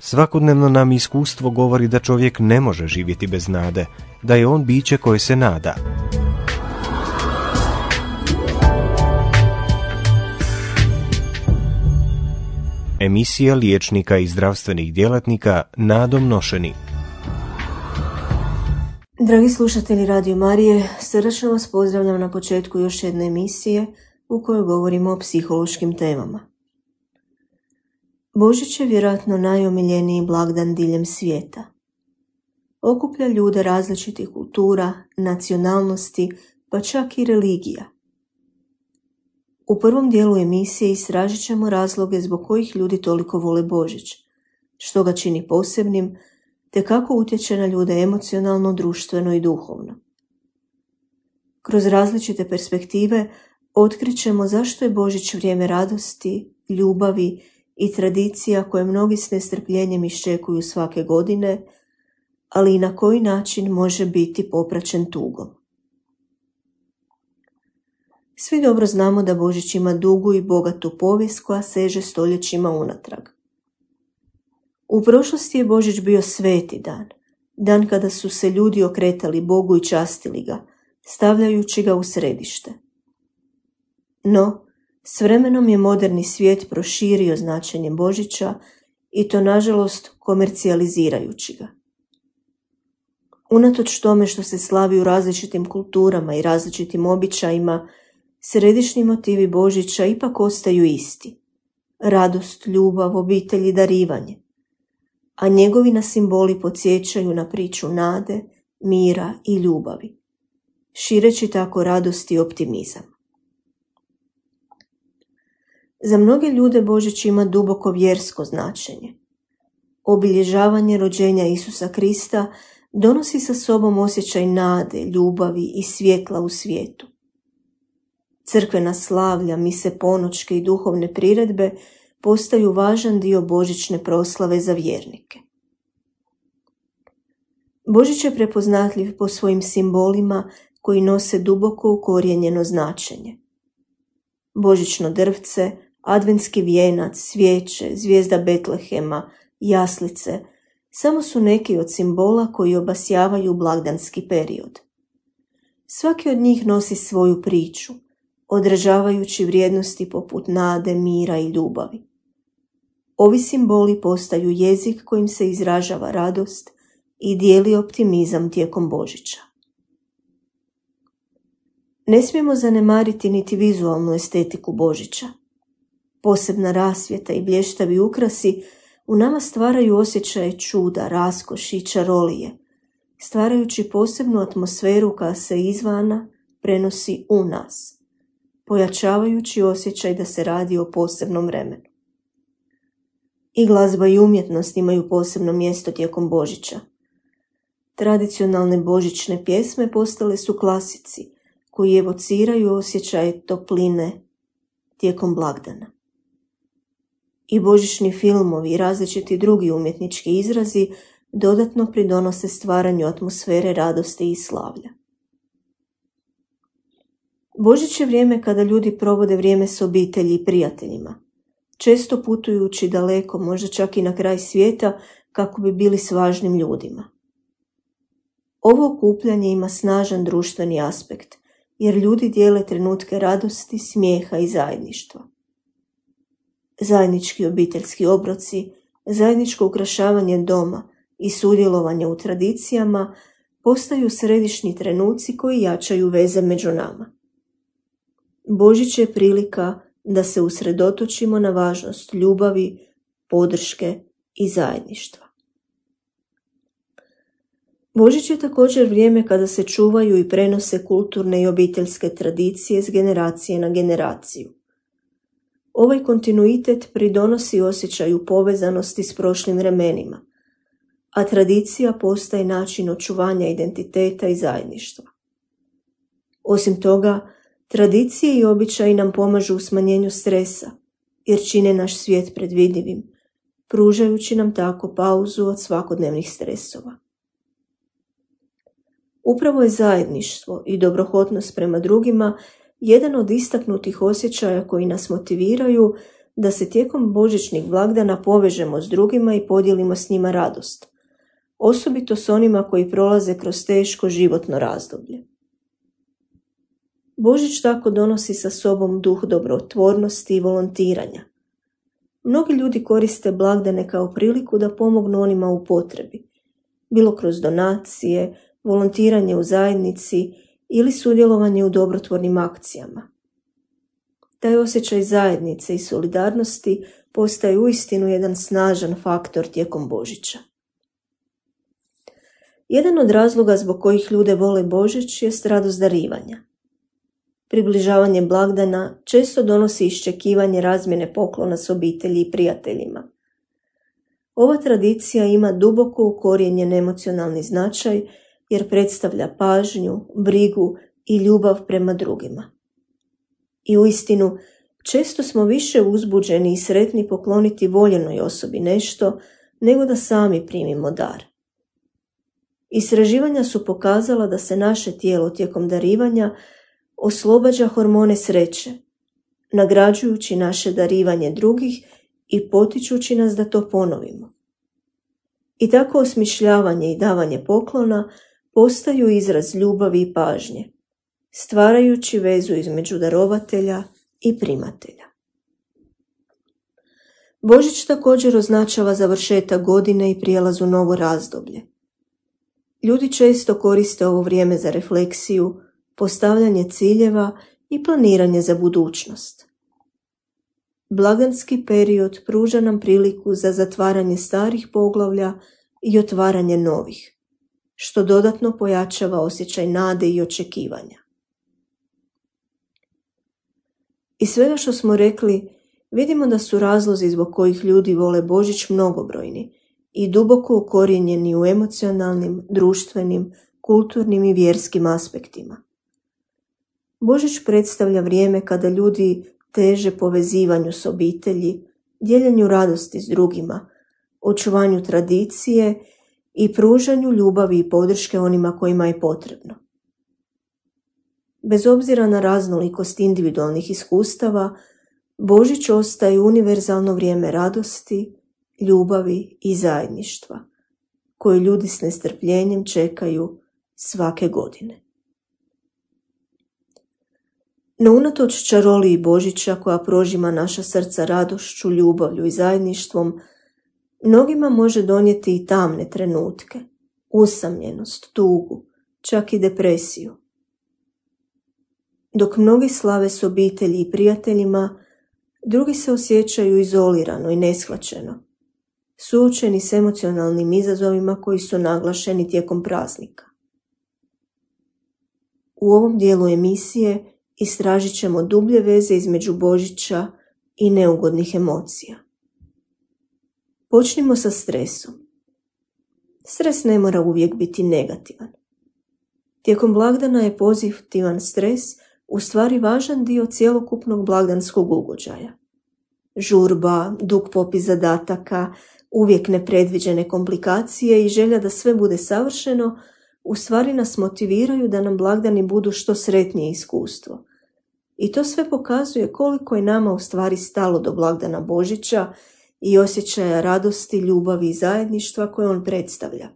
Svakodnevno nam iskustvo govori da čovjek ne može živjeti bez nade, da je on biće koje se nada. Emisija liječnika i zdravstvenih djelatnika nadom nošeni. Dragi slušatelji Radio Marije, srdačno vas pozdravljam na početku još jedne emisije u kojoj govorimo o psihološkim temama. Božić je vjerojatno najomiljeniji blagdan diljem svijeta. Okuplja ljude različitih kultura, nacionalnosti, pa čak i religija. U prvom dijelu emisije istražit ćemo razloge zbog kojih ljudi toliko vole Božić, što ga čini posebnim, te kako utječe na ljude emocionalno, društveno i duhovno. Kroz različite perspektive otkrićemo zašto je Božić vrijeme radosti, ljubavi i tradicija koje mnogi s nestrpljenjem iščekuju svake godine, ali i na koji način može biti popraćen tugom. Svi dobro znamo da Božić ima dugu i bogatu povijest koja seže stoljećima unatrag. U prošlosti je Božić bio sveti dan, dan kada su se ljudi okretali Bogu i častili ga, stavljajući ga u središte. No, s vremenom je moderni svijet proširio značenje Božića i to nažalost komercijalizirajući ga. Unatoč tome što se slavi u različitim kulturama i različitim običajima, središnji motivi Božića ipak ostaju isti. Radost, ljubav, obitelj i darivanje. A njegovi nas simboli podsjećaju na priču nade, mira i ljubavi, šireći tako radost i optimizam. Za mnoge ljude Božić ima duboko vjersko značenje. Obilježavanje rođenja Isusa Krista donosi sa sobom osjećaj nade, ljubavi i svjetla u svijetu. Crkvena slavlja, mise ponoćke i duhovne priredbe postaju važan dio božićne proslave za vjernike. Božić je prepoznatljiv po svojim simbolima koji nose duboko ukorijenjeno značenje. Božićno drvce, adventski vijenac, svijeće, zvijezda Betlehema, jaslice, samo su neki od simbola koji obasjavaju blagdanski period. Svaki od njih nosi svoju priču, odražavajući vrijednosti poput nade, mira i ljubavi. Ovi simboli postaju jezik kojim se izražava radost i dijeli optimizam tijekom Božića. Ne smijemo zanemariti niti vizualnu estetiku Božića. Posebna rasvjeta i blještavi ukrasi u nama stvaraju osjećaje čuda, raskoši i čarolije, stvarajući posebnu atmosferu koja se izvana prenosi u nas, pojačavajući osjećaj da se radi o posebnom vremenu. I glazba i umjetnost imaju posebno mjesto tijekom Božića. Tradicionalne božićne pjesme postale su klasici koji evociraju osjećaje topline tijekom blagdana. I božićni filmovi i različiti drugi umjetnički izrazi dodatno pridonose stvaranju atmosfere radosti i slavlja. Božić je vrijeme kada ljudi provode vrijeme s obitelji i prijateljima, često putujući daleko, možda čak i na kraj svijeta, kako bi bili s važnim ljudima. Ovo okupljanje ima snažan društveni aspekt, jer ljudi dijele trenutke radosti, smijeha i zajedništva. Zajednički obiteljski obroci, zajedničko ukrašavanje doma i sudjelovanje u tradicijama postaju središnji trenuci koji jačaju veze među nama. Božić je prilika da se usredotočimo na važnost ljubavi, podrške i zajedništva. Božić je također vrijeme kada se čuvaju i prenose kulturne i obiteljske tradicije s generacije na generaciju. Ovaj kontinuitet pridonosi osjećaju povezanosti s prošlim vremenima, a tradicija postaje način očuvanja identiteta i zajedništva. Osim toga, tradicije i običaji nam pomažu u smanjenju stresa, jer čine naš svijet predvidivim, pružajući nam tako pauzu od svakodnevnih stresova. Upravo je zajedništvo i dobrohotnost prema drugima jedan od istaknutih osjećaja koji nas motiviraju da se tijekom božićnih blagdana povežemo s drugima i podijelimo s njima radost, osobito s onima koji prolaze kroz teško životno razdoblje. Božić tako donosi sa sobom duh dobrotvornosti i volontiranja. Mnogi ljudi koriste blagdane kao priliku da pomognu onima u potrebi, bilo kroz donacije, volontiranje u zajednici ili sudjelovanje u dobrotvornim akcijama. Taj osjećaj zajednice i solidarnosti postaje uistinu jedan snažan faktor tijekom Božića. Jedan od razloga zbog kojih ljude vole Božić jest radost darivanja. Približavanje blagdana često donosi iščekivanje razmjene poklona s obitelji i prijateljima. Ova tradicija ima duboko ukorijenjen emocionalni značaj jer predstavlja pažnju, brigu i ljubav prema drugima. I uistinu, često smo više uzbuđeni i sretni pokloniti voljenoj osobi nešto nego da sami primimo dar. Istraživanja su pokazala da se naše tijelo tijekom darivanja oslobađa hormone sreće, nagrađujući naše darivanje drugih i potičući nas da to ponovimo. I tako osmišljavanje i davanje poklona postaju izraz ljubavi i pažnje, stvarajući vezu između darovatelja i primatelja. Božić također označava završetak godine i prijelaz u novo razdoblje. Ljudi često koriste ovo vrijeme za refleksiju, postavljanje ciljeva i planiranje za budućnost. Blagdanski period pruža nam priliku za zatvaranje starih poglavlja i otvaranje novih, što dodatno pojačava osjećaj nade i očekivanja. Iz svega što smo rekli, vidimo da su razlozi zbog kojih ljudi vole Božić mnogobrojni i duboko ukorijenjeni u emocionalnim, društvenim, kulturnim i vjerskim aspektima. Božić predstavlja vrijeme kada ljudi teže povezivanju s obitelji, dijeljenju radosti s drugima, očuvanju tradicije i pružanju ljubavi i podrške onima kojima je potrebno. Bez obzira na raznolikost individualnih iskustava, Božić ostaje univerzalno vrijeme radosti, ljubavi i zajedništva, koje ljudi s nestrpljenjem čekaju svake godine. No unatoč čaroliji Božića koja prožima naša srca radošću, ljubavlju i zajedništvom, mnogima može donijeti i tamne trenutke, usamljenost, tugu, čak i depresiju. Dok mnogi slave s obitelji i prijateljima, drugi se osjećaju izolirano i neshvaćeno, suočeni s emocionalnim izazovima koji su naglašeni tijekom praznika. U ovom dijelu emisije istražit ćemo dublje veze između Božića i neugodnih emocija. Počnimo sa stresom. Stres ne mora uvijek biti negativan. Tijekom blagdana je pozitivan stres u stvari važan dio cjelokupnog blagdanskog ugođaja. Žurba, dug popis zadataka, uvijek nepredviđene komplikacije i želja da sve bude savršeno u stvari nas motiviraju da nam blagdani budu što sretnije iskustvo. I to sve pokazuje koliko je nama u stvari stalo do blagdana Božića i osjećaja radosti, ljubavi i zajedništva koje on predstavlja.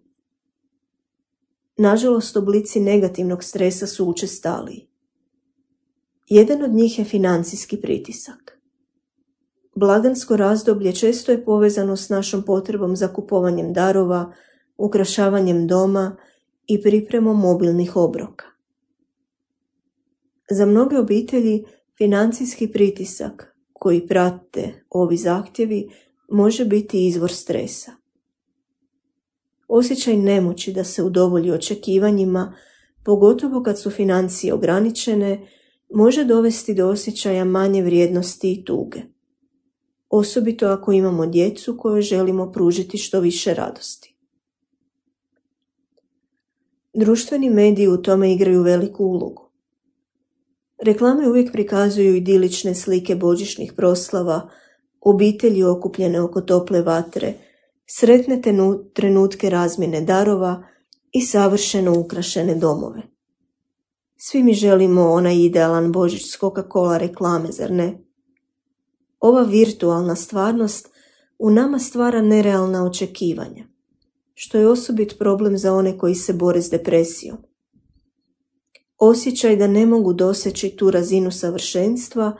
Nažalost, oblici negativnog stresa su učestaliji. Jedan od njih je financijski pritisak. Blagdansko razdoblje često je povezano s našom potrebom za kupovanjem darova, ukrašavanjem doma i pripremom mobilnih obroka. Za mnoge obitelji financijski pritisak koji prate ovi zahtjevi može biti izvor stresa. Osjećaj nemoći da se udovolji očekivanjima, pogotovo kad su financije ograničene, može dovesti do osjećaja manje vrijednosti i tuge. Osobito ako imamo djecu kojoj želimo pružiti što više radosti. Društveni mediji u tome igraju veliku ulogu. Reklame uvijek prikazuju idilične slike božićnih proslava, obitelji okupljene oko tople vatre, sretne trenutke razmjene darova i savršeno ukrašene domove. Svi mi želimo onaj idealan Božić s Coca-Cola reklame, zar ne? Ova virtualna stvarnost u nama stvara nerealna očekivanja, što je osobit problem za one koji se bore s depresijom. Osjećaj da ne mogu doseći tu razinu savršenstva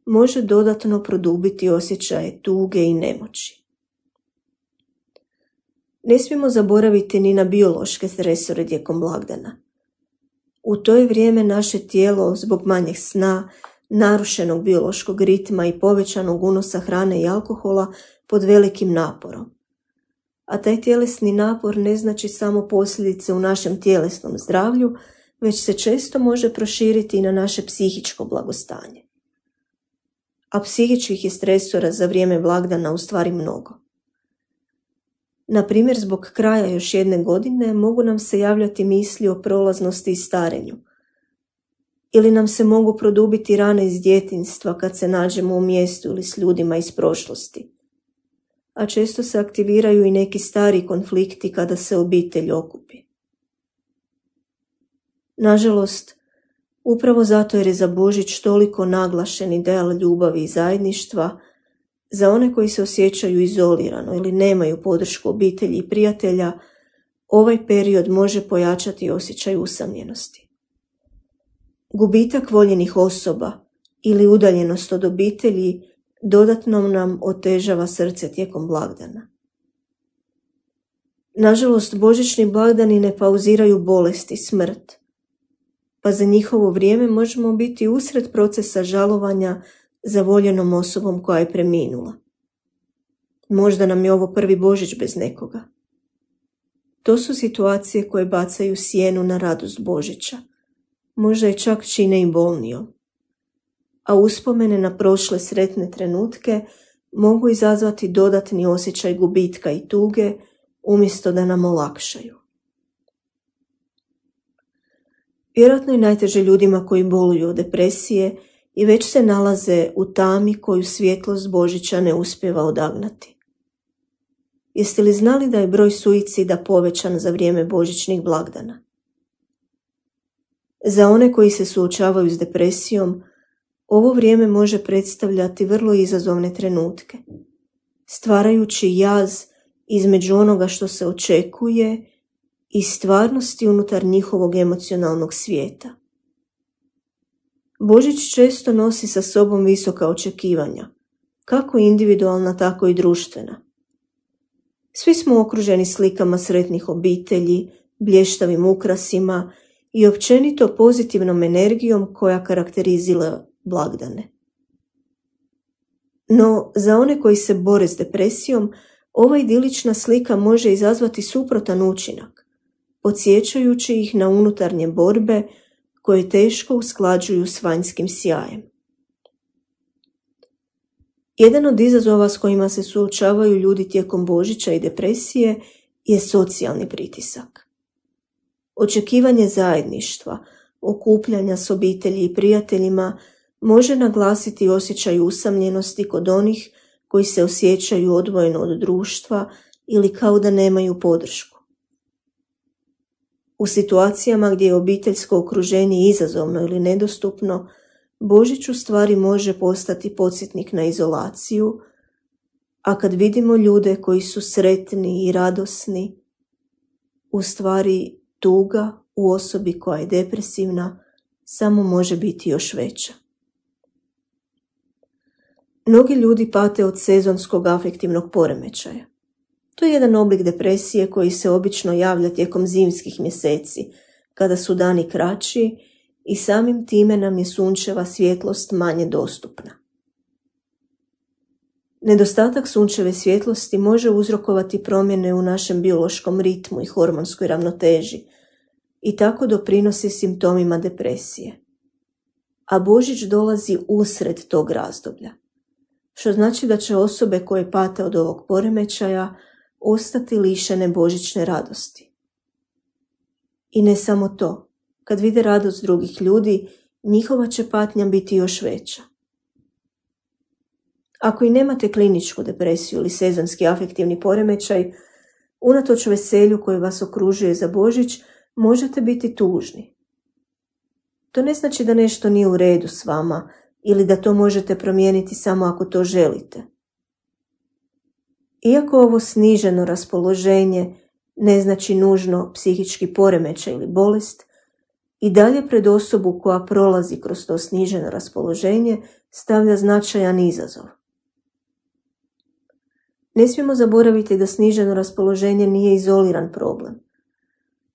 može dodatno produbiti osjećaje tuge i nemoći. Ne smijemo zaboraviti ni na biološke stresore tijekom blagdana. U to je vrijeme naše tijelo zbog manjeg sna, narušenog biološkog ritma i povećanog unosa hrane i alkohola pod velikim naporom. A taj tjelesni napor ne znači samo posljedice u našem tjelesnom zdravlju, već se često može proširiti i na naše psihičko blagostanje. A psihičkih je stresora za vrijeme blagdana u stvari mnogo. Na primjer, zbog kraja još jedne godine mogu nam se javljati misli o prolaznosti i starenju. Ili nam se mogu produbiti rane iz djetinjstva kad se nađemo u mjestu ili s ljudima iz prošlosti. A često se aktiviraju i neki stari konflikti kada se obitelj okupi. Nažalost, upravo zato jer je za Božić toliko naglašen ideal ljubavi i zajedništva, za one koji se osjećaju izolirano ili nemaju podršku obitelji i prijatelja, ovaj period može pojačati osjećaj usamljenosti. Gubitak voljenih osoba ili udaljenost od obitelji dodatno nam otežava srce tijekom blagdana. Nažalost, božićni blagdani ne pauziraju bolest i smrt, pa za njihovo vrijeme možemo biti usred procesa žalovanja za voljenom osobom koja je preminula. Možda nam je ovo prvi Božić bez nekoga. To su situacije koje bacaju sjenu na radost Božića, možda je čak čine i bolnijom. A uspomene na prošle sretne trenutke mogu izazvati dodatni osjećaj gubitka i tuge umjesto da nam olakšaju. Vjerojatno je najteže ljudima koji boluju od depresije i već se nalaze u tami koju svjetlost Božića ne uspijeva odagnati. Jeste li znali da je broj suicida povećan za vrijeme božićnih blagdana? Za one koji se suočavaju s depresijom, ovo vrijeme može predstavljati vrlo izazovne trenutke, stvarajući jaz između onoga što se očekuje i stvarnosti unutar njihovog emocionalnog svijeta. Božić često nosi sa sobom visoka očekivanja, kako individualna, tako i društvena. Svi smo okruženi slikama sretnih obitelji, blještavim ukrasima i općenito pozitivnom energijom koja karakterizira blagdane. No, za one koji se bore s depresijom, ova idilična slika može izazvati suprotan učinak, podsjećajući ih na unutarnje borbe koje teško usklađuju s vanjskim sjajem. Jedan od izazova s kojima se suočavaju ljudi tijekom Božića i depresije je socijalni pritisak. Očekivanje zajedništva, okupljanja s obitelji i prijateljima može naglasiti osjećaj usamljenosti kod onih koji se osjećaju odvojeno od društva ili kao da nemaju podršku. U situacijama gdje je obiteljsko okruženje izazovno ili nedostupno, Božić u stvari može postati podsjetnik na izolaciju, a kad vidimo ljude koji su sretni i radosni, u stvari tuga u osobi koja je depresivna samo može biti još veća. Mnogi ljudi pate od sezonskog afektivnog poremećaja. To je jedan oblik depresije koji se obično javlja tijekom zimskih mjeseci, kada su dani kraći i samim time nam je sunčeva svjetlost manje dostupna. Nedostatak sunčeve svjetlosti može uzrokovati promjene u našem biološkom ritmu i hormonskoj ravnoteži i tako doprinosi simptomima depresije. A Božić dolazi usred tog razdoblja, što znači da će osobe koje pate od ovog poremećaja ostati lišene božićne radosti. I ne samo to, kad vide radost drugih ljudi, njihova će patnja biti još veća. Ako i nemate kliničku depresiju ili sezonski afektivni poremećaj, unatoč veselju koje vas okružuje za Božić, možete biti tužni. To ne znači da nešto nije u redu s vama ili da to možete promijeniti samo ako to želite. Iako ovo sniženo raspoloženje ne znači nužno psihički poremećaj ili bolest, i dalje pred osobu koja prolazi kroz to sniženo raspoloženje stavlja značajan izazov. Ne smijemo zaboraviti da sniženo raspoloženje nije izoliran problem.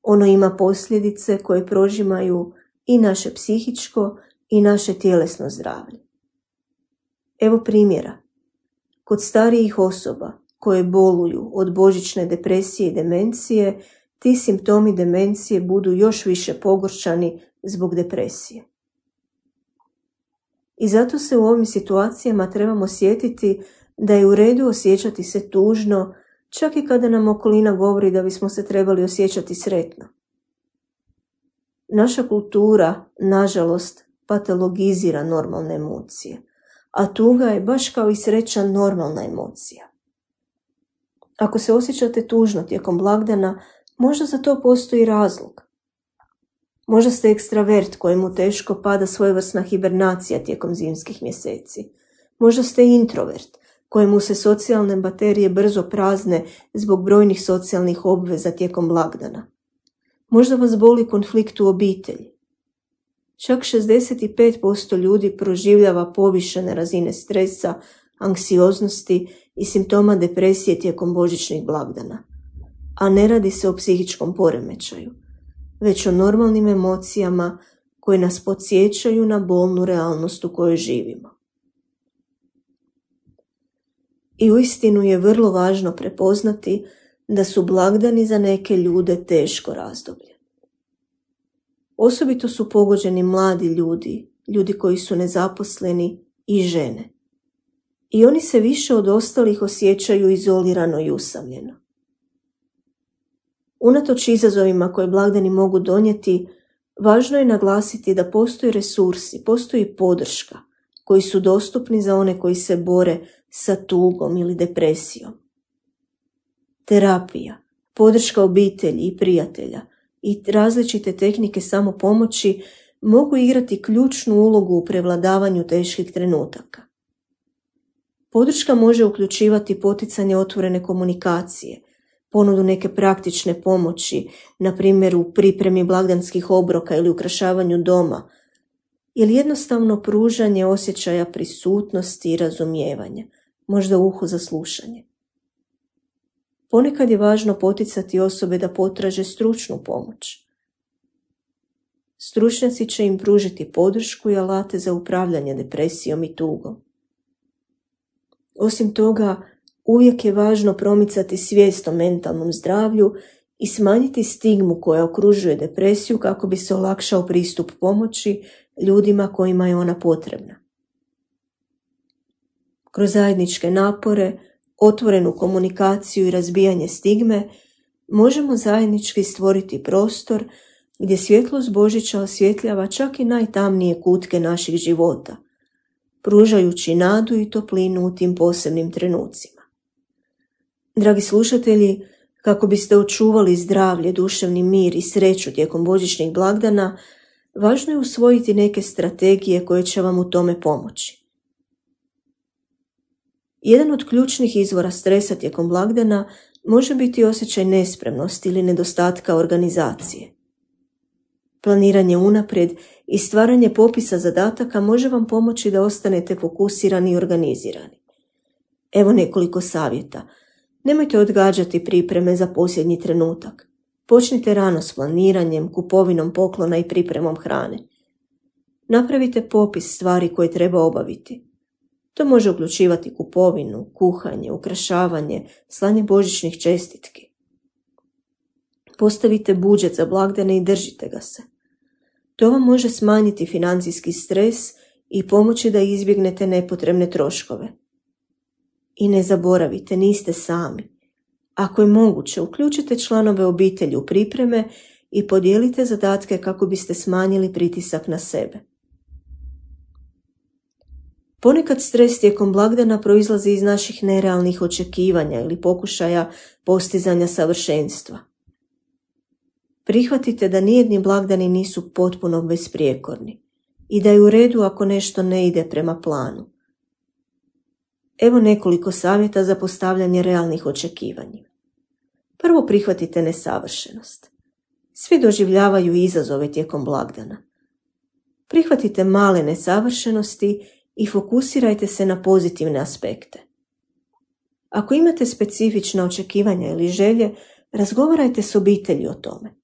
Ono ima posljedice koje prožimaju i naše psihičko i naše tjelesno zdravlje. Evo primjera. Kod starijih osoba koje boluju od božićne depresije i demencije, ti simptomi demencije budu još više pogoršani zbog depresije. I zato se u ovim situacijama trebamo sjetiti da je u redu osjećati se tužno, čak i kada nam okolina govori da bismo se trebali osjećati sretno. Naša kultura, nažalost, patologizira normalne emocije, a tuga je baš kao i sreća normalna emocija. Ako se osjećate tužno tijekom blagdana, možda za to postoji razlog. Možda ste ekstravert kojemu teško pada svojevrsna hibernacija tijekom zimskih mjeseci. Možda ste introvert kojemu se socijalne baterije brzo prazne zbog brojnih socijalnih obveza tijekom blagdana. Možda vas boli konflikt u obitelji. Čak 65% ljudi proživljava povišene razine stresa, anksioznosti i simptoma depresije tijekom božićnih blagdana. A ne radi se o psihičkom poremećaju, već o normalnim emocijama koje nas podsjećaju na bolnu realnost u kojoj živimo. I uistinu je vrlo važno prepoznati da su blagdani za neke ljude teško razdoblje. Osobito su pogođeni mladi ljudi, ljudi koji su nezaposleni i žene. I oni se više od ostalih osjećaju izolirano i usamljeno. Unatoč izazovima koje blagdani mogu donijeti, važno je naglasiti da postoje resursi, postoji podrška koji su dostupni za one koji se bore sa tugom ili depresijom. Terapija, podrška obitelji i prijatelja i različite tehnike samopomoći mogu igrati ključnu ulogu u prevladavanju teških trenutaka. Podrška može uključivati poticanje otvorene komunikacije, ponudu neke praktične pomoći, na primjer u pripremi blagdanskih obroka ili ukrašavanju doma, ili jednostavno pružanje osjećaja prisutnosti i razumijevanja, možda uho za slušanje. Ponekad je važno poticati osobe da potraže stručnu pomoć. Stručnjaci će im pružiti podršku i alate za upravljanje depresijom i tugom. Osim toga, uvijek je važno promicati svijest o mentalnom zdravlju i smanjiti stigmu koja okružuje depresiju kako bi se olakšao pristup pomoći ljudima kojima je ona potrebna. Kroz zajedničke napore, otvorenu komunikaciju i razbijanje stigme možemo zajednički stvoriti prostor gdje svjetlost Božića osvjetljava čak i najtamnije kutke naših života, pružajući nadu i toplinu u tim posebnim trenucima. Dragi slušatelji, kako biste očuvali zdravlje, duševni mir i sreću tijekom božićnih blagdana, važno je usvojiti neke strategije koje će vam u tome pomoći. Jedan od ključnih izvora stresa tijekom blagdana može biti osjećaj nespremnosti ili nedostatka organizacije. Planiranje unaprijed i stvaranje popisa zadataka može vam pomoći da ostanete fokusirani i organizirani. Evo nekoliko savjeta. Nemojte odgađati pripreme za posljednji trenutak. Počnite rano s planiranjem, kupovinom poklona i pripremom hrane. Napravite popis stvari koje treba obaviti. To može uključivati kupovinu, kuhanje, ukrašavanje, slanje božićnih čestitki. Postavite budžet za blagdane i držite ga se. To vam može smanjiti financijski stres i pomoći da izbjegnete nepotrebne troškove. I ne zaboravite, niste sami. Ako je moguće, uključite članove obitelji u pripreme i podijelite zadatke kako biste smanjili pritisak na sebe. Ponekad stres tijekom blagdana proizlazi iz naših nerealnih očekivanja ili pokušaja postizanja savršenstva. Prihvatite da nijedni blagdani nisu potpuno besprijekorni. i da je u redu ako nešto ne ide prema planu. Evo nekoliko savjeta za postavljanje realnih očekivanja. Prvo, prihvatite nesavršenost. Svi doživljavaju izazove tijekom blagdana. Prihvatite male nesavršenosti i fokusirajte se na pozitivne aspekte. Ako imate specifična očekivanja ili želje, razgovarajte s obitelji o tome.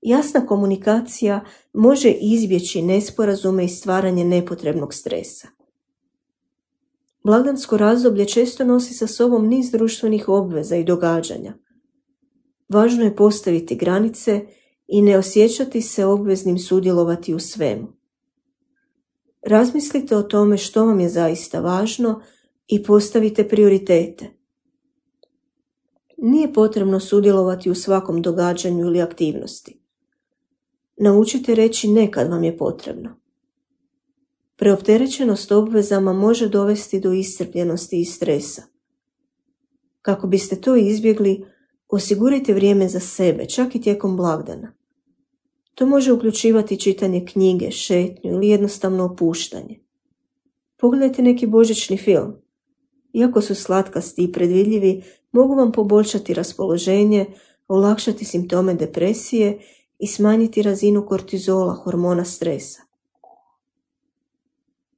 Jasna komunikacija može izbjeći nesporazume i stvaranje nepotrebnog stresa. Blagdansko razdoblje često nosi sa sobom niz društvenih obveza i događanja. Važno je postaviti granice i ne osjećati se obveznim sudjelovati u svemu. Razmislite o tome što vam je zaista važno i postavite prioritete. Nije potrebno sudjelovati u svakom događanju ili aktivnosti. Naučite reći ne kad vam je potrebno. Preopterećenost obvezama može dovesti do iscrpljenosti i stresa. Kako biste to izbjegli, osigurajte vrijeme za sebe, čak i tijekom blagdana. To može uključivati čitanje knjige, šetnju ili jednostavno opuštanje. Pogledajte neki božićni film. Iako su slatkasti i predvidljivi, mogu vam poboljšati raspoloženje, olakšati simptome depresije i smanjiti razinu kortizola, hormona stresa.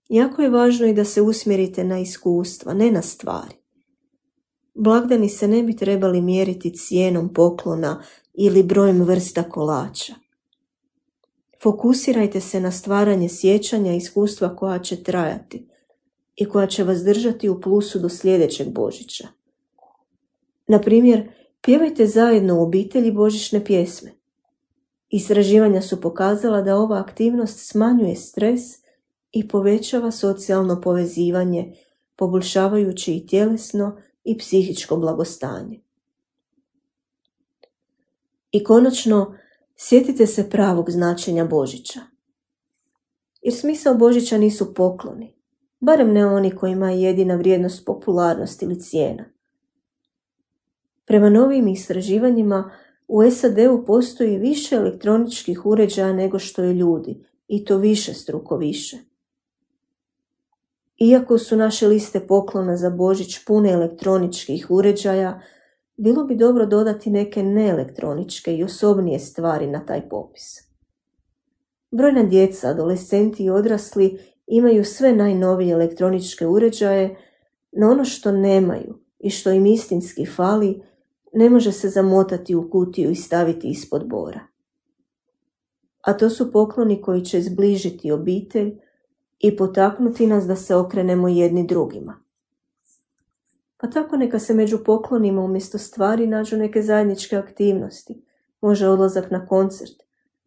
Jako je važno i da se usmjerite na iskustva, ne na stvari. Blagdani se ne bi trebali mjeriti cijenom poklona ili brojem vrsta kolača. Fokusirajte se na stvaranje sjećanja i iskustva koja će trajati i koja će vas držati u plusu do sljedećeg Božića. Na primjer, pjevajte zajedno u obitelji božićne pjesme. Istraživanja su pokazala da ova aktivnost smanjuje stres i povećava socijalno povezivanje, poboljšavajući i tjelesno i psihičko blagostanje. I konačno, sjetite se pravog značenja Božića. Jer smisao Božića nisu pokloni, barem ne oni kojima je jedina vrijednost popularnost ili cijena. Prema novim istraživanjima, u SAD-u postoji više elektroničkih uređaja nego što je ljudi, i to višestruko više. Iako su naše liste poklona za Božić pune elektroničkih uređaja, bilo bi dobro dodati neke neelektroničke i osobnije stvari na taj popis. Brojna djeca, adolescenti i odrasli imaju sve najnovije elektroničke uređaje, no ono što nemaju i što im istinski fali ne može se zamotati u kutiju i staviti ispod bora. A to su pokloni koji će zbližiti obitelj i potaknuti nas da se okrenemo jedni drugima. Pa tako neka se među poklonima umjesto stvari nađu neke zajedničke aktivnosti, može odlazak na koncert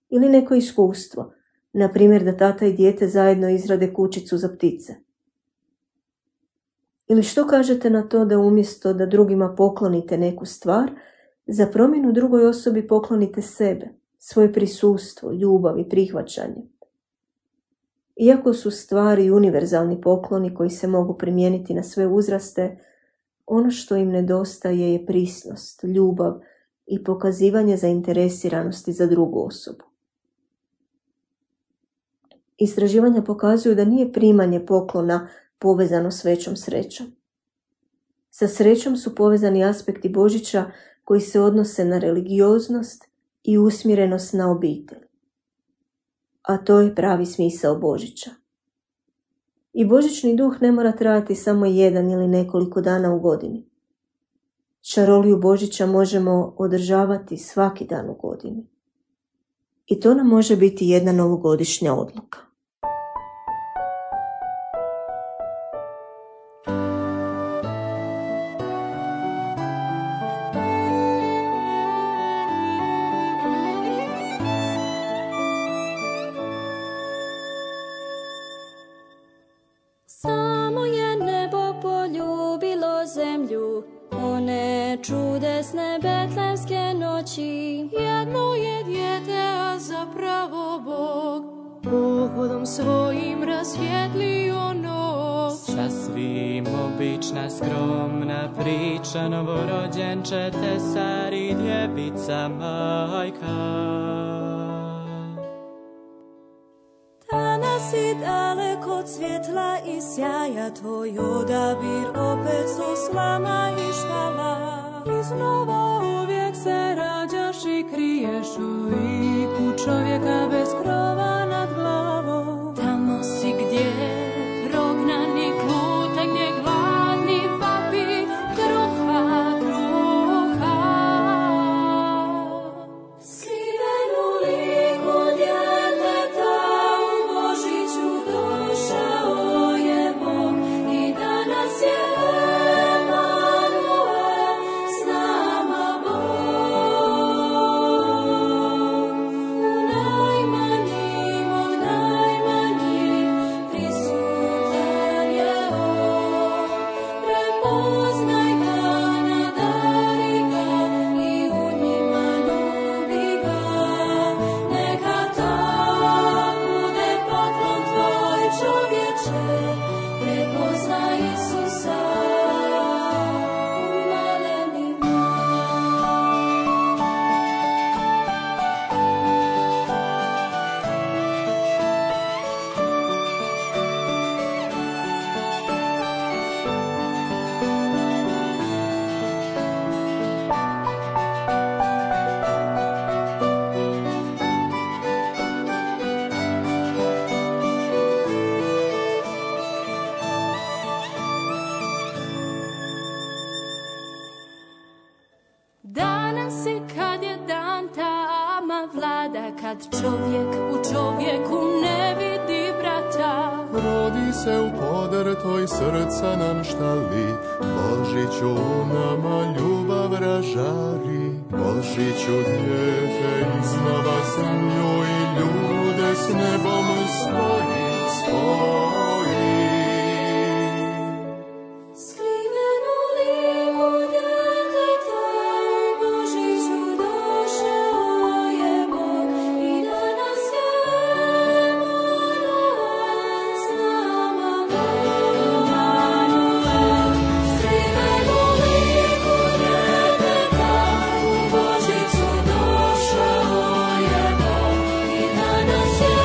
ili neko iskustvo, na primjer da tata i dijete zajedno izrade kućicu za ptice. Ili što kažete na to da umjesto da drugima poklonite neku stvar, za promjenu drugoj osobi poklonite sebe, svoje prisustvo, ljubav i prihvaćanje. Iako su stvari univerzalni pokloni koji se mogu primijeniti na sve uzraste, ono što im nedostaje je prisnost, ljubav i pokazivanje zainteresiranosti za drugu osobu. Istraživanja pokazuju da nije primanje poklona povezano s većom srećom. Sa srećom su povezani aspekti Božića koji se odnose na religioznost i usmjerenost na obitelj. A to je pravi smisao Božića. I božićni duh ne mora trajati samo jedan ili nekoliko dana u godini. Čaroliju Božića možemo održavati svaki dan u godini. I to nam može biti jedna novogodišnja odluka. Samo je nebo poljubilo zemlju, one čudesne betlemske noći. Jedno je dijete, a zapravo Bog, pohodom svojim rasvjetlio noć. Sasvim obična, skromna priča, novorođenče tesari, djevica majka. Danas si daleko od svjetla i sjaja, tvoj odabir opet su slama i štala. Iznova uvijek se rađaš i kriješ u liku čovjeka bez krova nad glavom. Tamo si gdje prognani kluta, gdje gladni vapi kruha, kruha. Skriven u liku djeteta u Božiću došao je Bog i danas je Emanuel s nama Bog. U najmanjim od najmanjih prisutan je On. Prepoznaj ga, nadari ga i u njima ljubi ga. Neka to bude poklon tvoj, čovječe, prepoznaj Isusa u malenima. Danas i kad je dan tama vlada, kad čovjek u čovjeku ne vidi brata. Rodi se u podrtoj srca nam štali, Božiću u nama ljubav ražari. Božiću dijete iznova zemlju i ljude s nebom spoji, spoji. Skriven u liku djeteta u Božiću došao je Bog i danas je Emanuel s nama Bog. Skriven u liku djeteta u Božiću došao je Bog i danas je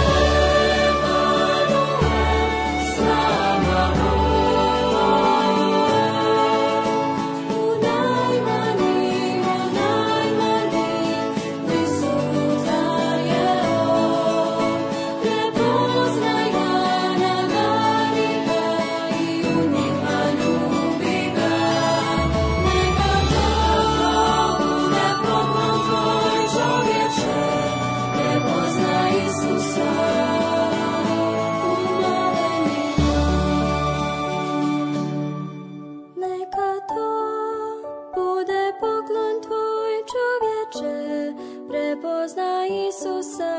Emanuel s nama Bog. U najmanjim od najmanjih prisutan je On. Prepoznaj ga, nadari ga i u njima ljubi ga. Neka to bude poklon tvoj, čovječe, prepoznaj Isusa u malenima. Neka to bude poklon tvoj, čovječe, prepoznaj Isusa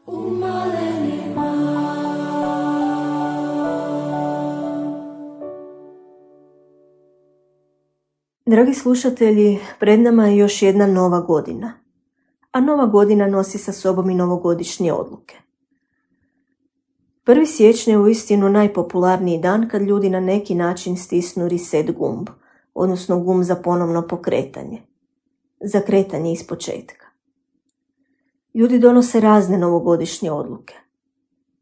u malenima. Dragi slušatelji, pred nama je još jedna nova godina, a nova godina nosi sa sobom i novogodišnje odluke. 1. siječnja je uistinu najpopularniji dan kad ljudi na neki način stisnu reset gumb, odnosno gumb za ponovno pokretanje, za kretanje iz početka. Ljudi donose razne novogodišnje odluke.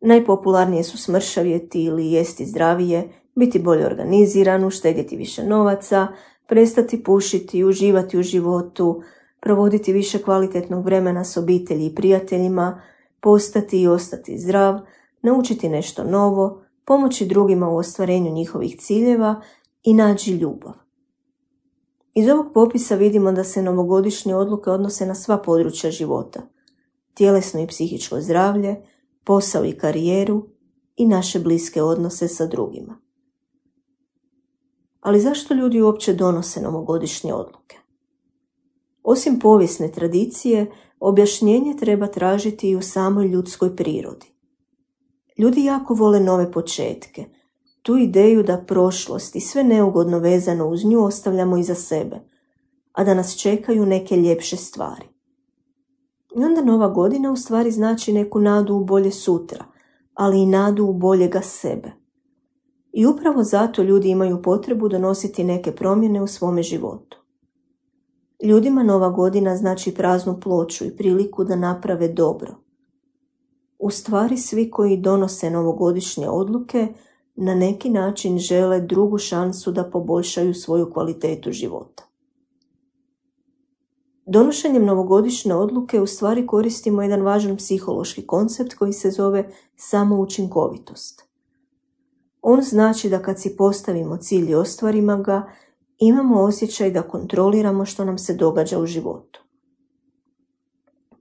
Najpopularnije su smršavjeti ili jesti zdravije, biti bolje organiziran, uštedjeti više novaca, prestati pušiti, uživati u životu, provoditi više kvalitetnog vremena s obitelji i prijateljima, postati i ostati zdrav, naučiti nešto novo, pomoći drugima u ostvarenju njihovih ciljeva i naći ljubav. Iz ovog popisa vidimo da se novogodišnje odluke odnose na sva područja života, tjelesno i psihičko zdravlje, posao i karijeru i naše bliske odnose sa drugima. Ali zašto ljudi uopće donose novogodišnje odluke? Osim povijesne tradicije, objašnjenje treba tražiti i u samoj ljudskoj prirodi. Ljudi jako vole nove početke, tu ideju da prošlost i sve neugodno vezano uz nju ostavljamo iza sebe, a da nas čekaju neke ljepše stvari. I onda nova godina u stvari znači neku nadu u bolje sutra, ali i nadu u boljega sebe. I upravo zato ljudi imaju potrebu donositi neke promjene u svome životu. Ljudima nova godina znači praznu ploču i priliku da naprave dobro, U stvari svi koji donose novogodišnje odluke na neki način žele drugu šansu da poboljšaju svoju kvalitetu života. Donošenjem novogodišnje odluke u stvari koristimo jedan važan psihološki koncept koji se zove samoučinkovitost. On znači da kad si postavimo cilj i ostvarimo ga, imamo osjećaj da kontroliramo što nam se događa u životu.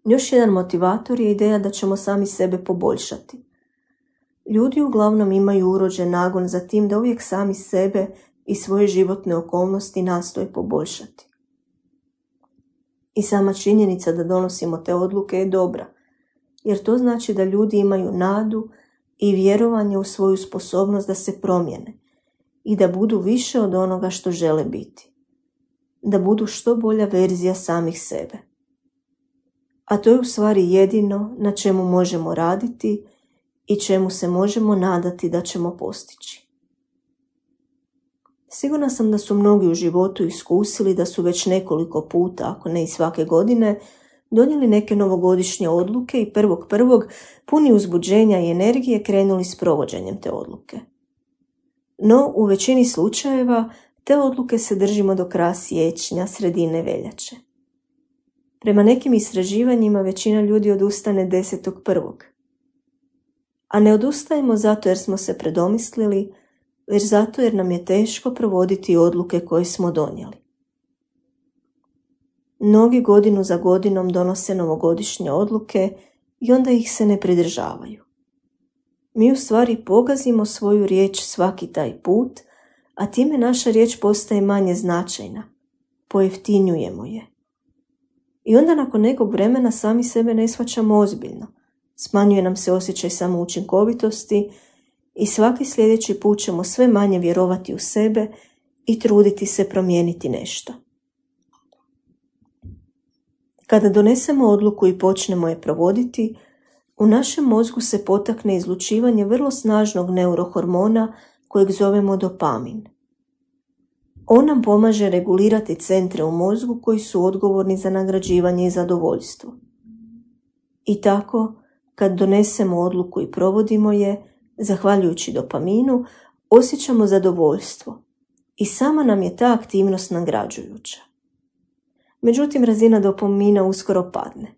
Još jedan motivator je ideja da ćemo sami sebe poboljšati. Ljudi uglavnom imaju urođen nagon za tim da uvijek sami sebe i svoje životne okolnosti nastoje poboljšati. I sama činjenica da donosimo te odluke je dobra, jer to znači da ljudi imaju nadu i vjerovanje u svoju sposobnost da se promijene i da budu više od onoga što žele biti. Da budu što bolja verzija samih sebe. A to je u stvari jedino na čemu možemo raditi i čemu se možemo nadati da ćemo postići. Sigurna sam da su mnogi u životu iskusili da su već nekoliko puta, ako ne i svake godine, donijeli neke novogodišnje odluke i 1.1. puni uzbuđenja i energije krenuli s provođenjem te odluke. No, u većini slučajeva te odluke se držimo do kraja siječnja, sredine veljače. Prema nekim istraživanjima većina ljudi odustane 10.1. A ne odustajemo zato jer smo se predomislili, već zato jer nam je teško provoditi odluke koje smo donijeli. Mnogi godinu za godinom donose novogodišnje odluke i onda ih se ne pridržavaju. Mi u stvari pogazimo svoju riječ svaki taj put, a time naša riječ postaje manje značajna, pojeftinjujemo je. I onda nakon nekog vremena sami sebe ne shvaćamo ozbiljno, smanjuje nam se osjećaj samoučinkovitosti i svaki sljedeći put ćemo sve manje vjerovati u sebe i truditi se promijeniti nešto. Kada donesemo odluku i počnemo je provoditi, u našem mozgu se potakne izlučivanje vrlo snažnog neurohormona kojeg zovemo dopamin. On nam pomaže regulirati centre u mozgu koji su odgovorni za nagrađivanje i zadovoljstvo. I tako, kad donesemo odluku i provodimo je, zahvaljujući dopaminu, osjećamo zadovoljstvo i sama nam je ta aktivnost nagrađujuća. Međutim, razina dopamina uskoro padne.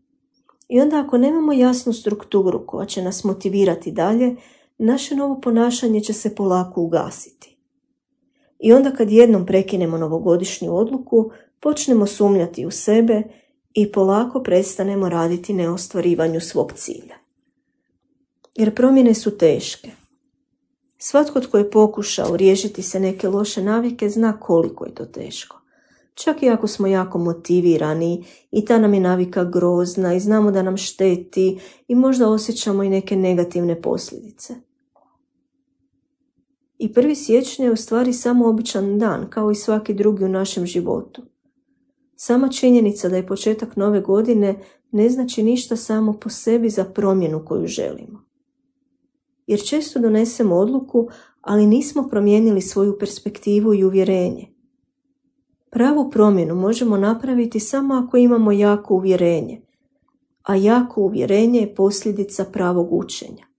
I onda ako nemamo jasnu strukturu koja će nas motivirati dalje, naše novo ponašanje će se polako ugasiti. I onda kad jednom prekinemo novogodišnju odluku, počnemo sumnjati u sebe i polako prestanemo raditi na ostvarivanju svog cilja. Jer promjene su teške. Svatko tko je pokušao riješiti se neke loše navike zna koliko je to teško. Čak i ako smo jako motivirani i ta nam je navika grozna i znamo da nam šteti i možda osjećamo i neke negativne posljedice. I 1. siječnja je u stvari samo običan dan, kao i svaki drugi u našem životu. Sama činjenica da je početak nove godine ne znači ništa samo po sebi za promjenu koju želimo. Jer često donesemo odluku, ali nismo promijenili svoju perspektivu i uvjerenje. Pravu promjenu možemo napraviti samo ako imamo jako uvjerenje, a jako uvjerenje je posljedica pravog učenja.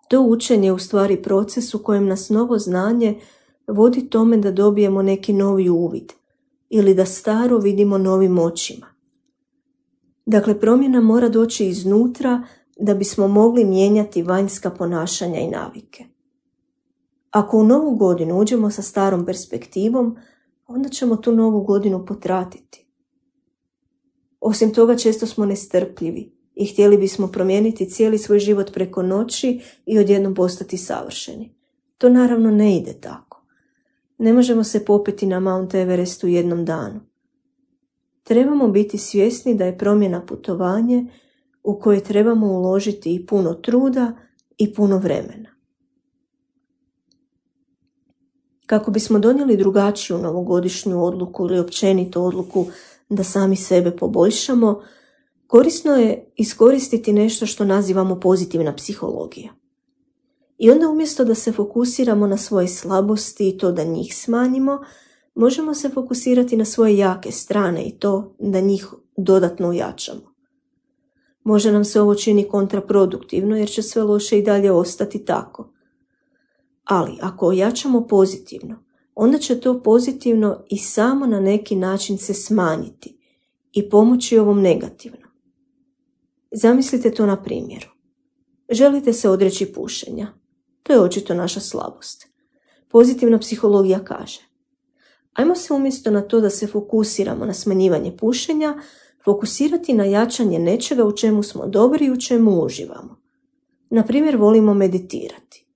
To učenje je u stvari proces u kojem nas novo znanje vodi tome da dobijemo neki novi uvid ili da staro vidimo novim očima. Dakle, promjena mora doći iznutra da bismo mogli mijenjati vanjska ponašanja i navike. Ako u novu godinu uđemo sa starom perspektivom, onda ćemo tu novu godinu potratiti. Osim toga, često smo nestrpljivi i htjeli bismo promijeniti cijeli svoj život preko noći i odjednom postati savršeni. To naravno ne ide tako. Ne možemo se popeti na Mount Everest u jednom danu. Trebamo biti svjesni da je promjena putovanje u koje trebamo uložiti i puno truda i puno vremena. Kako bismo donijeli drugačiju novogodišnju odluku ili općenito odluku da sami sebe poboljšamo, korisno je iskoristiti nešto što nazivamo pozitivna psihologija. I onda umjesto da se fokusiramo na svoje slabosti i to da njih smanjimo, možemo se fokusirati na svoje jake strane i to da njih dodatno ojačamo. Možda nam se ovo čini kontraproduktivno jer će sve loše i dalje ostati tako. Ali ako ojačamo pozitivno, onda će to pozitivno i samo na neki način se smanjiti i pomoći ovom negativnom. Zamislite to na primjeru. Želite se odreći pušenja. To je očito naša slabost. Pozitivna psihologija kaže: ajmo se umjesto na to da se fokusiramo na smanjivanje pušenja, fokusirati na jačanje nečega u čemu smo dobri i u čemu uživamo. Na primjer, volimo meditirati.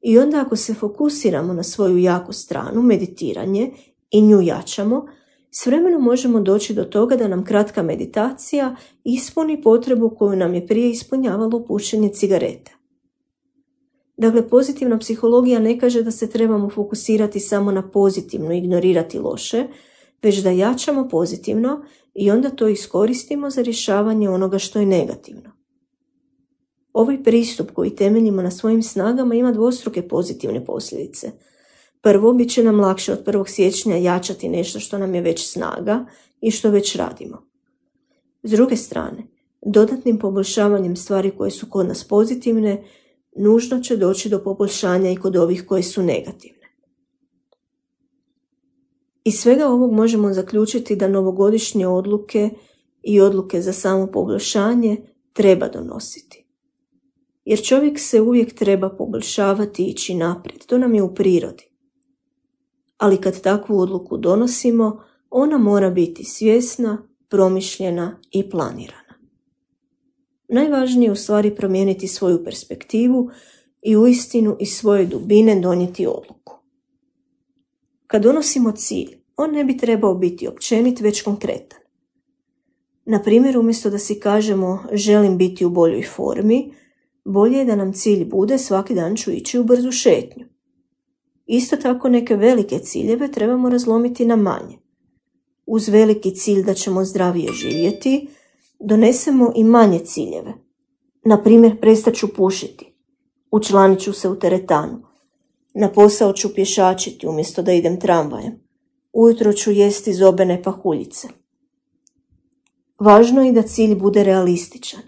I onda ako se fokusiramo na svoju jaku stranu, meditiranje, i nju jačamo, s vremenom možemo doći do toga da nam kratka meditacija ispuni potrebu koju nam je prije ispunjavalo pušenje cigareta. Dakle, pozitivna psihologija ne kaže da se trebamo fokusirati samo na pozitivno i ignorirati loše, već da jačamo pozitivno i onda to iskoristimo za rješavanje onoga što je negativno. Ovaj pristup koji temeljimo na svojim snagama ima dvostruke pozitivne posljedice. Prvo, bit će nam lakše od 1. siječnja jačati nešto što nam je već snaga i što već radimo. S druge strane, dodatnim poboljšavanjem stvari koje su kod nas pozitivne, nužno će doći do poboljšanja i kod ovih koje su negativne. Iz svega ovog možemo zaključiti da novogodišnje odluke i odluke za samo poboljšanje treba donositi. Jer čovjek se uvijek treba poboljšavati i ići naprijed, to nam je u prirodi. Ali kad takvu odluku donosimo, ona mora biti svjesna, promišljena i planirana. Najvažnije je u stvari promijeniti svoju perspektivu i uistinu iz svoje dubine donijeti odluku. Kad donosimo cilj, on ne bi trebao biti općenit, već konkretan. Na primjer, umjesto da si kažemo želim biti u boljoj formi, bolje je da nam cilj bude svaki dan ću ići u brzu šetnju. Isto tako neke velike ciljeve trebamo razlomiti na manje. Uz veliki cilj da ćemo zdravije živjeti, donesemo i manje ciljeve. Na primjer, prestat ću pušiti, učlanit ću se u teretanu, na posao ću pješačiti umjesto da idem tramvajem, ujutro ću jesti zobene pahuljice. Važno je da cilj bude realističan.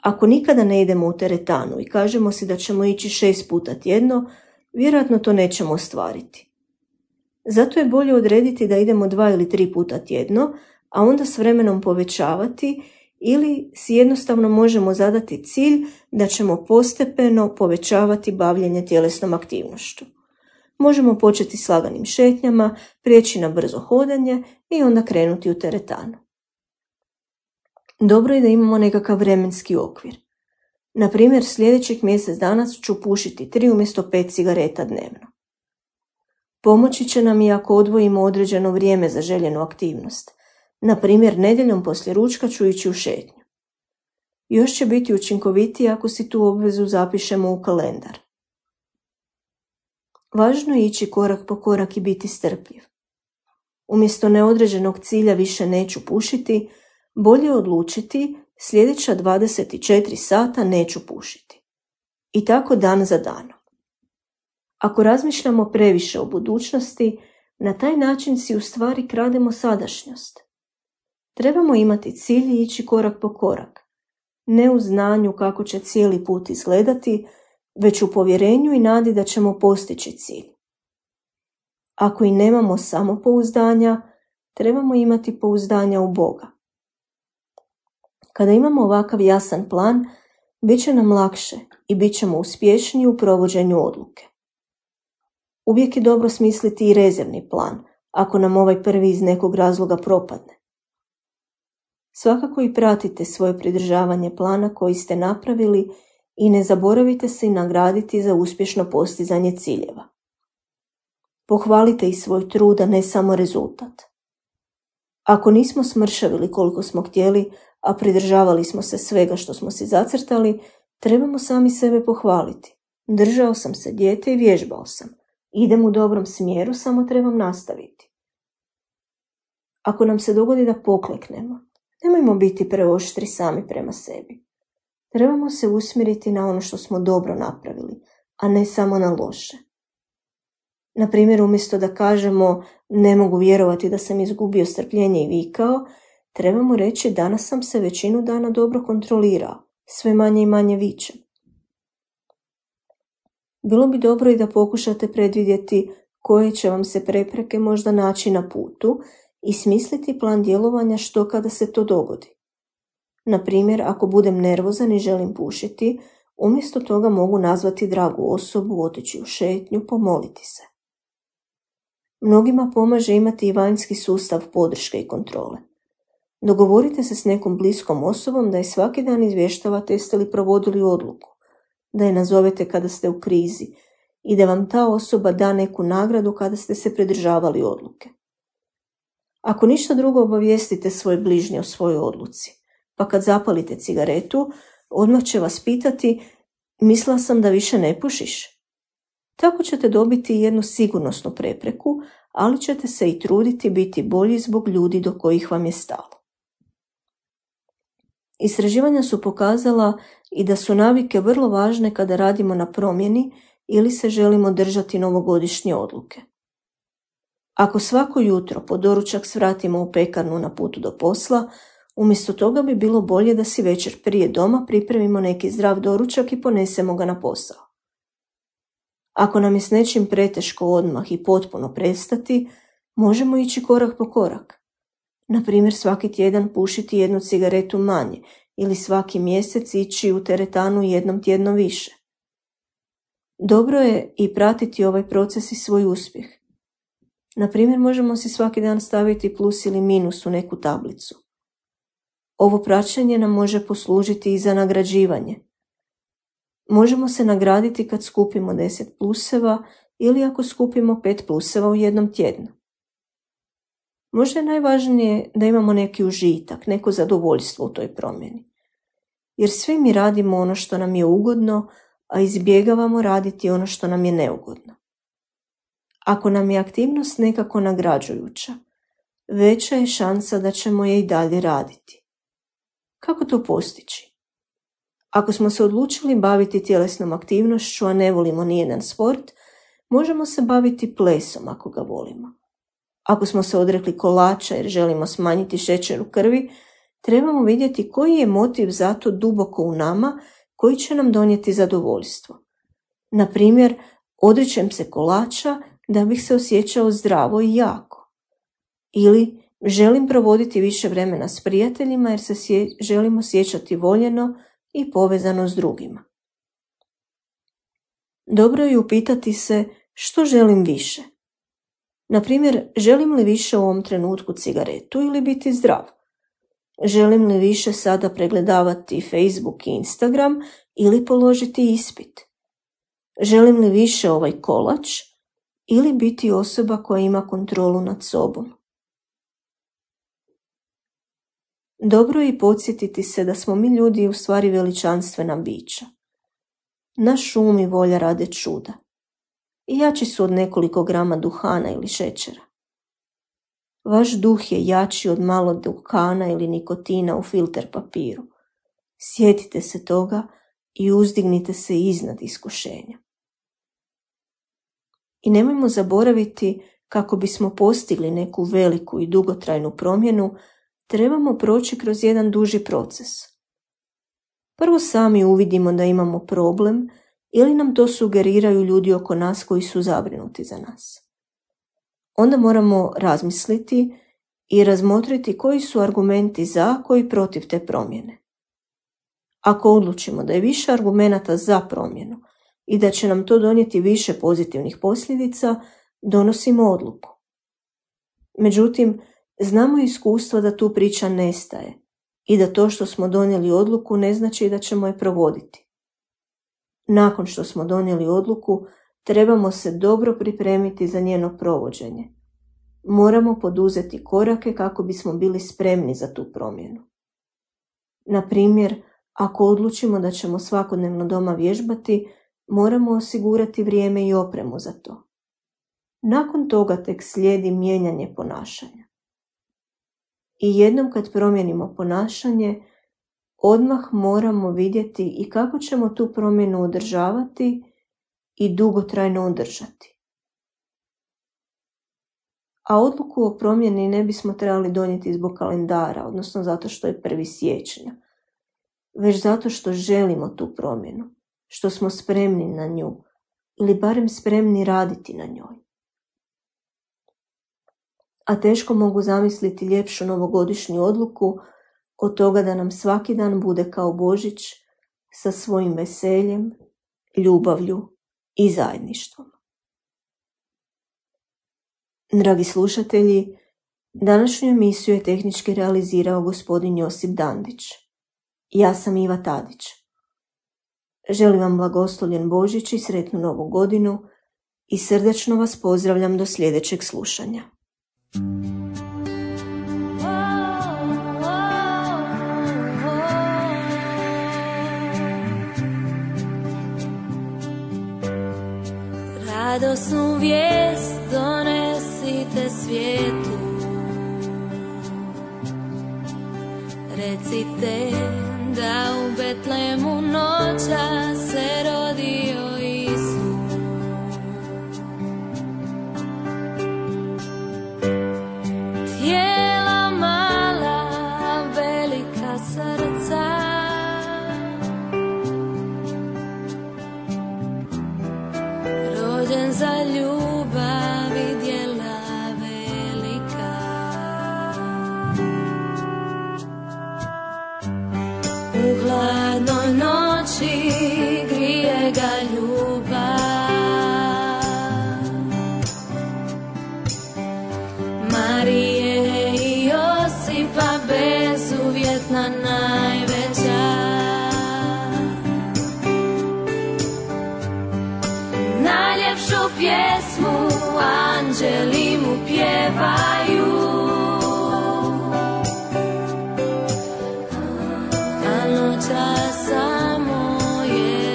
Ako nikada ne idemo u teretanu i kažemo si da ćemo ići 6 puta tjedno, vjerojatno to nećemo ostvariti. Zato je bolje odrediti da idemo 2 ili 3 puta tjedno, a onda s vremenom povećavati, ili si jednostavno možemo zadati cilj da ćemo postepeno povećavati bavljenje tjelesnom aktivnošću. Možemo početi s laganim šetnjama, prijeći na brzo hodanje i onda krenuti u teretanu. Dobro je da imamo nekakav vremenski okvir. Na primjer, sljedećih mjesec dana ću pušiti 3 umjesto 5 cigareta dnevno. Pomoći će nam i ako odvojimo određeno vrijeme za željenu aktivnost. Na primjer, nedjeljom poslije ručka ću ići u šetnju. Još će biti učinkovitije ako si tu obvezu zapišemo u kalendar. Važno je ići korak po korak i biti strpljiv. Umjesto neodređenog cilja više neću pušiti, bolje odlučiti sljedeća 24 sata neću pušiti. I tako dan za danom. Ako razmišljamo previše o budućnosti, na taj način si u stvari krademo sadašnjost. Trebamo imati cilj i ići korak po korak, ne u znanju kako će cijeli put izgledati, već u povjerenju i nadi da ćemo postići cilj. Ako i nemamo samopouzdanja, trebamo imati pouzdanja u Boga. Kada imamo ovakav jasan plan, bit će nam lakše i bit ćemo uspješniji u provođenju odluke. Uvijek je dobro smisliti i rezervni plan, ako nam ovaj prvi iz nekog razloga propadne. Svakako i pratite svoje pridržavanje plana koji ste napravili i ne zaboravite se i nagraditi za uspješno postizanje ciljeva. Pohvalite i svoj trud, a ne samo rezultat. Ako nismo smršavili koliko smo htjeli, a pridržavali smo se svega što smo si zacrtali, trebamo sami sebe pohvaliti. Držao sam se dijete i vježbao sam. Idem u dobrom smjeru, samo trebam nastaviti. Ako nam se dogodi da pokleknemo, nemojmo biti preoštri sami prema sebi. Trebamo se usmjeriti na ono što smo dobro napravili, a ne samo na loše. Na primjer, umjesto da kažemo ne mogu vjerovati da sam izgubio strpljenje i vikao, trebamo reći danas sam se većinu dana dobro kontrolirao, sve manje i manje vičem. Bilo bi dobro i da pokušate predvidjeti koje će vam se prepreke možda naći na putu i smisliti plan djelovanja što kada se to dogodi. Na primjer, ako budem nervozan i želim pušiti, umjesto toga mogu nazvati dragu osobu, otići u šetnju, pomoliti se. Mnogima pomaže imati i vanjski sustav podrške i kontrole. Dogovorite se s nekom bliskom osobom da je svaki dan izvještavate jeste li provodili odluku, da je nazovete kada ste u krizi i da vam ta osoba da neku nagradu kada ste se pridržavali odluke. Ako ništa drugo, obavijestite svoje bližnje o svojoj odluci, pa kad zapalite cigaretu, odmah će vas pitati: mislila sam da više ne pušiš? Tako ćete dobiti jednu sigurnosnu prepreku, ali ćete se i truditi biti bolji zbog ljudi do kojih vam je stalo. Istraživanja su pokazala i da su navike vrlo važne kada radimo na promjeni ili se želimo držati novogodišnje odluke. Ako svako jutro po doručak svratimo u pekarnu na putu do posla, umjesto toga bi bilo bolje da si večer prije doma pripremimo neki zdrav doručak i ponesemo ga na posao. Ako nam je s nečim preteško odmah i potpuno prestati, možemo ići korak po korak. Na primjer, svaki tjedan pušiti 1 cigaretu manje ili svaki mjesec ići u teretanu 1 tjedno više. Dobro je i pratiti ovaj proces i svoj uspjeh. Na primjer, možemo si svaki dan staviti plus ili minus u neku tablicu. Ovo praćenje nam može poslužiti i za nagrađivanje. Možemo se nagraditi kad skupimo 10 pluseva ili ako skupimo 5 pluseva u 1 tjednu. Možda je najvažnije da imamo neki užitak, neko zadovoljstvo u toj promjeni. Jer svi mi radimo ono što nam je ugodno, a izbjegavamo raditi ono što nam je neugodno. Ako nam je aktivnost nekako nagrađujuća, veća je šansa da ćemo je i dalje raditi. Kako to postići? Ako smo se odlučili baviti tjelesnom aktivnošću, a ne volimo nijedan sport, možemo se baviti plesom ako ga volimo. Ako smo se odrekli kolača jer želimo smanjiti šećer u krvi, trebamo vidjeti koji je motiv za to duboko u nama koji će nam donijeti zadovoljstvo. Na primjer, odričem se kolača da bih se osjećao zdravo i jako. Ili želim provoditi više vremena s prijateljima jer se želim osjećati voljeno i povezano s drugima. Dobro je upitati se što želim više. Na primjer, želim li više u ovom trenutku cigaretu ili biti zdrav? Želim li više sada pregledavati Facebook i Instagram ili položiti ispit? Želim li više ovaj kolač ili biti osoba koja ima kontrolu nad sobom? Dobro je i podsjetiti se da smo mi ljudi u stvari veličanstvena bića. Naš um i volja rade čuda. I jači su od nekoliko grama duhana ili šećera. Vaš duh je jači od malo duhana ili nikotina u filter papiru. Sjetite se toga i uzdignite se iznad iskušenja. I nemojmo zaboraviti kako bismo postigli neku veliku i dugotrajnu promjenu, trebamo proći kroz jedan duži proces. Prvo sami uvidimo da imamo problem ili nam to sugeriraju ljudi oko nas koji su zabrinuti za nas. Onda moramo razmisliti i razmotriti koji su argumenti za, koji protiv te promjene. Ako odlučimo da je više argumenata za promjenu i da će nam to donijeti više pozitivnih posljedica, donosimo odluku. Međutim, znamo iskustva da tu priča nestaje i da to što smo donijeli odluku ne znači da ćemo je provoditi. Nakon što smo donijeli odluku, trebamo se dobro pripremiti za njeno provođenje. Moramo poduzeti korake kako bismo bili spremni za tu promjenu. Na primjer, ako odlučimo da ćemo svakodnevno doma vježbati, moramo osigurati vrijeme i opremu za to. Nakon toga tek slijedi mijenjanje ponašanja. I jednom kad promijenimo ponašanje, odmah moramo vidjeti i kako ćemo tu promjenu održavati i dugotrajno održati. A odluku o promjeni ne bismo trebali donijeti zbog kalendara, odnosno zato što je 1. siječnja, već zato što želimo tu promjenu, što smo spremni na nju ili barem spremni raditi na njoj. A teško mogu zamisliti ljepšu novogodišnju odluku od toga da nam svaki dan bude kao Božić sa svojim veseljem, ljubavlju i zajedništvom. Dragi slušatelji, današnju emisiju je tehnički realizirao gospodin Josip Dandić. Ja sam Iva Tadić. Želim vam blagoslovljen Božić i sretnu Novu godinu i srdačno vas pozdravljam do sljedećeg slušanja. Radosnu vijest donesite svijetu, recite da u Betlemu noća se rodio Isus. Tijela mala, velika srca, rođen za ljubav i djela velika. U hladnoj noći grije ga ljubav, Marije i Josipa bezuvjetna najveća. Najljepšu pjesmu anđeli mu pjevaju, a noća samo je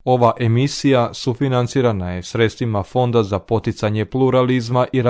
Ova emisija sufinancirana je sredstvima Fonda za poticanje pluralizma i